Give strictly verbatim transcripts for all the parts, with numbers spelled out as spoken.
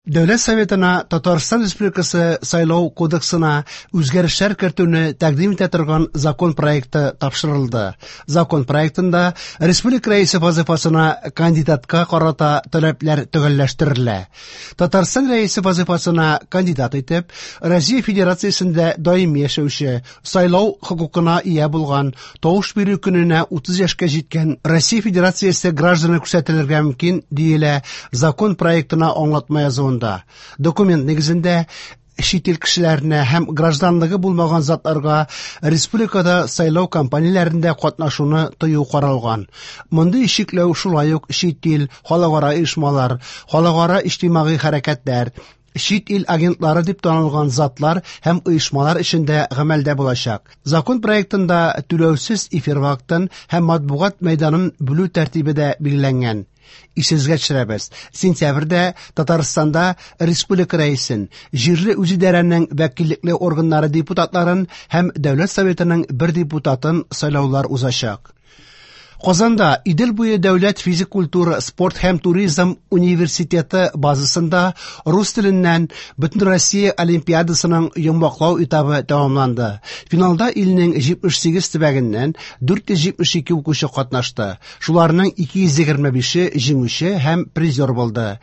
Дәүләт Советына Татарстан Республикасы Сайлау кодексына үзгәрешләр кертүне тәкъдим итә торган закон проекты тапшырылды. Закон проектында республика рәисе вазифасына кандидатка карата таләпләр төгәлләштерелә. Татарстан рәисе вазифасына кандидат итеп, Россия Федерациясендә даими яшәүче, сайлау хокукына ия булган, тавыш бирү көненә утыз яшькә җиткән Россия Федерациясе гражданы күрсәтелергә мөмкин, диелә закон проектына аңлатма язуында. Документ нигезендә чит ил кешеләренә һәм гражданлыгы булмаган затларга республикада сайлау кампанияләрендә катнашуны тыю каралган. Мондый чикләү шулай ук чит ил, халыкара оешмалар, халыкара иҗтимагый хәрәкәтләр, чит ил агентлары дип танылган затлар һәм оешмалар эчендә гамәлдә булачак. Закон проектында түләүсез эфир вакытын һәм матбугат мәйданын бүлү тәртибе дә билгеләнгән. Исегезгә төшерәбез. Сентябрьдә Татарстанда республика рәисен, җирле үзидарәнең вәкиллекле органнары депутатларын һәм Дәүләт Советының бер депутатын сайлаулар узачак. Казанда Идел буе дәүләт физик культура, спорт һәм туризм университеты базасында рус теленнән Бөтенроссия олимпиадасының йомгаклау этабы тәмамланды. Финалда илнең җитмеш сигез төбәгеннән дүрт йөз җитмеш ике укучы катнашты. Шуларның ике йөз егерме бише җиңүче һәм призер булды.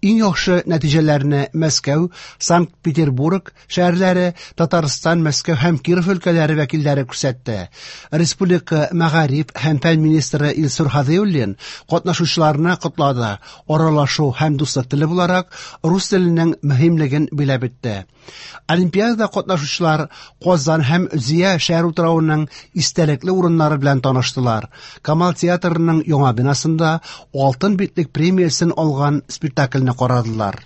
Иң яхшы нәтиҗәләрне Мәскәү, Санкт-Петербург шәһәрләре, Татарстан, Мәскәү һәм Киров өлкәләре вәкилләре күрсәтте. Республика мәгариф һәм фән министры Илсур Һадиуллин катнашучыларны котлады. Аралашу һәм дуслык теле буларак рус теленең мөһимлеген биләп үтте. Олимпиадада катнашучылар Казан һәм Зөя шәһәр утравының истәлекле урыннары белән таныштылар. Камал театрының яңа бинасында Алтын битлек премиясен алган спектакльне карадылар.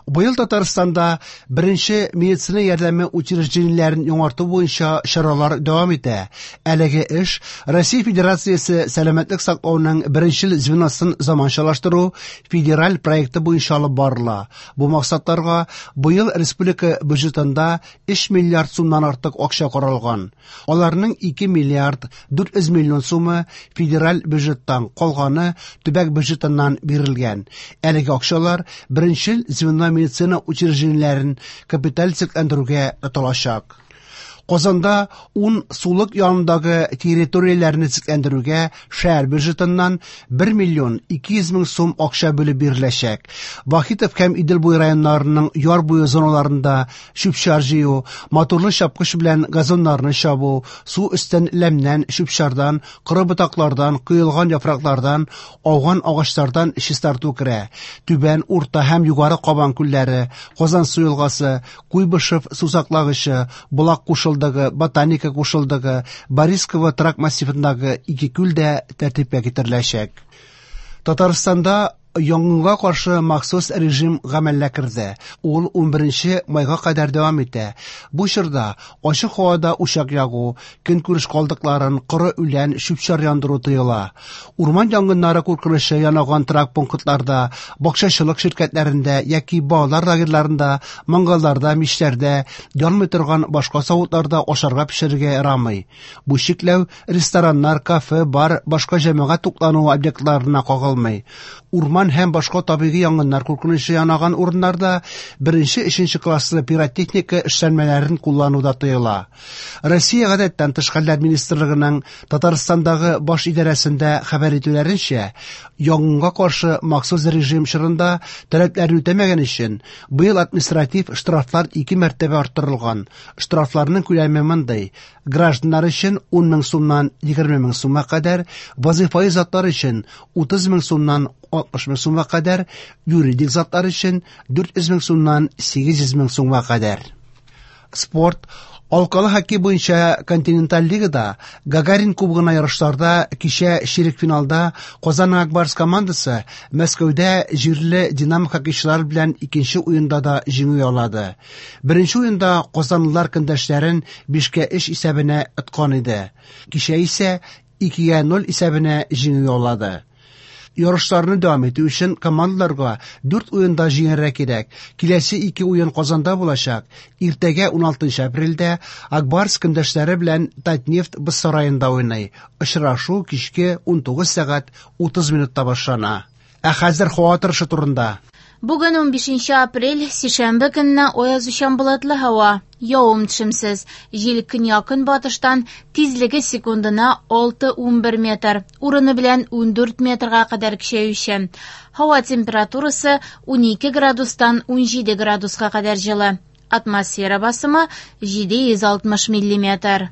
Быел Татарстанда беренче медицина ярдәме учреждениеләрен яңарту буенча чаралар дәвам итә. Әлеге эш Россия Федерациясе сәламәтлек саклауның беренчел звеносын заманчалаштыру федераль проекты буенча алып барыла. Бу максатларга быел республика бюджетында өч миллиард сумнан артык акча каралган. Аларның ике миллиард дүрт йөз миллион сумы федераль бюджеттан, калганы төбәк бюджетыннан бирелгән. Әлеге акчалар беренчел звено медицина учреждениеләрен капиталь төзекләндерүгә тотылачак. Казанда ун сулык янындагы территорияләрне төзекләндерүгә шәһәр бюджетыннан бер миллион ике йөз мең сум акча бүлеп биреләчәк. Вахитов һәм Идел буе районнарының яр буе зоналарында чүп-чар җыю, моторлы чапкыч белән газоннарны чабу, су өстен ләмнән, чүп-чардан, коры ботаклардан, коелган яфраклардан, ауган агачлардан чистарту керә. Түбән, Урта һәм Югары Кабан күлләре, Казан су елгасы, Куйбышев сусаклагычы, Болак кушылдыгы, Ботаника кушылдыгы, Борисково торак массивындагы ике күл дә тәртипкә китереләчәк. Татарстанда янгынга каршы махсус режим гамәлгә керде. Ул унберенче майга кадәр дәвам итә. Бу чорда ачык һавада учак ягу, көнкүреш калдыкларын, коры үлән, чүп-чар яндыру тыела. Урман янгыннары куркынычы янаган торак пунктларда, бакчачылык ширкәтләрендә яки балалар лагерьларында, мангалларда, мичләрдә, янмый торган башка савытларда ашарга пешерергә ярамый. Бу чикләү рестораннар, кафе, бар, башка җәмәгать туклануы объектларына кагылмый. Урман һәм башка табигый янгыннар куркынычы янаган урыннарда беренче, өченче класслы пиротехника эшләнмәләрен куллану да тыела. Россия гадәттән тыш хәлләр министрлыгының Татарстандагы баш идарәсендә хәбәр итүләренчә, янгынга каршы махсус режим чорында таләпләрне үтәмәгән өчен быел административ штрафлар ике мәртәбә арттырылган. Штрафларның күләме мондый: гражданнар өчен ун мең сумнан егерме мең сумга кадәр, вазифаи затлар өчен утыз мең сумнан алтмыш мең сумга кадәр, юридик затлар өчен дүрт йөз мең сумнан сигез йөз мең сумга кадәр. Спорт. Алкалы хоккей буенча континенталь лигада Гагарин кубогына ярышларда кичә чирек финалда Казан Ак Барс командасы Мәскәүдә җирле Динамо хоккейчылары белән икенче уенда да җиңү яулады. Беренче уенда казанлылар көндәшләрен бишкә өч исәбенә откан иде. Кичә исә икегә ноль исәбенә җиңү яулады. Ярышларны дәвам итү өчен командаларга дүрт уенда җиңәргә кирәк. Киләсе ике уен Казанда булачак. Иртәгә уналтынчы апрельдә Ак Барс көндәшләре белән Татнефть боз сараенда уйный. Очрашу кичке унтугыз сәгать утыз минутта башлана. Ә хәзер һава торышы турында. Бүген унбишенче апрель, сишәмбе көнне аязучан болытлы һава, явым-төшемсез. Җил көньяк-көнбатыштан, тизлеге секундына алты-унбер метр, урыны белән ундүрт метрга кадәр көчәючән. Һава температурасы унике градустан унҗиде градуска кадәр җылы. Атмосфера басымы җиде йөз алтмыш миллиметр.